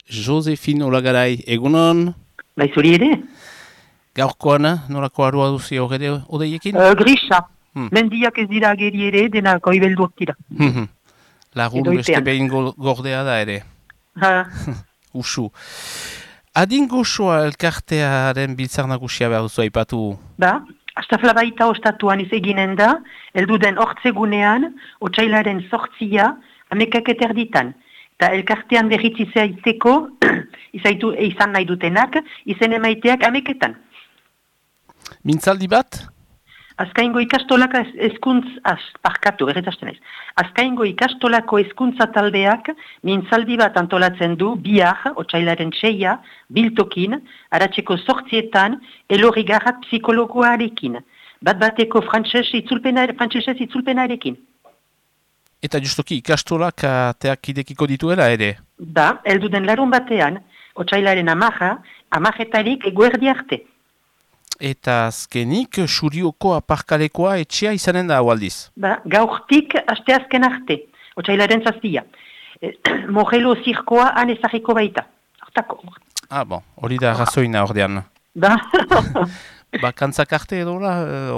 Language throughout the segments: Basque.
Josefin Olagarai, egunon? Bai, zuri ere? Gaurkoan, norako arua duzi horre odeiekin? Grisa. Mendiak ez dira ageri ere, denako ibelduak dira. Lagun beste behin gordea da ere. Usu. Adin gozoa elkartearen biltzar nagusia behar duzu aipatu? Ba, astafla baita ostatuan izeginen da, elduden hortzegunean, otsailaren 8 amekak eterditan. Eta elkartean berritzizea izteko, izan nahi dutenak, izen emaiteak ameketan. Mintzaldi bat? Azkaingo ikastolako Azkaingo ikastolako hezkuntza taldeak mintzaldi bat antolatzen du bihar, otsailaren 6, biltokin, aratzeko 8 elorrigarrat psikologoarekin. Bat-bateko frantsesez itzulpenarekin. Eta justoki ikastolak ateak idekiko dituela ere? Da, elduden larun batean, otsailaren 10 eguerdi arte. Eta azkenik, Surioko aparkalekoa etxea izanen da haualdiz? Ba, gaurtik asteazken arte, otsailaren 7. Mogelo zirkoa han ezagiko baita. Hortako. Bon, hori da razoina ordean. Ba. Bakantzak arte edo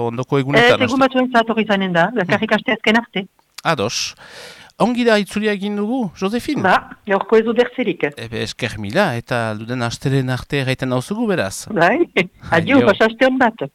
ondoko egunetan? Egun batzuen zator izanen da, bakarrik asteazken arte. Ados. Ongi da itzulia egin dugu, Josefin? Ba, gaurko ez du bertzerik. Esker mila, eta alduden asteren arte gaiten hauzugu beraz. Bai, adio, pasaste hon bat.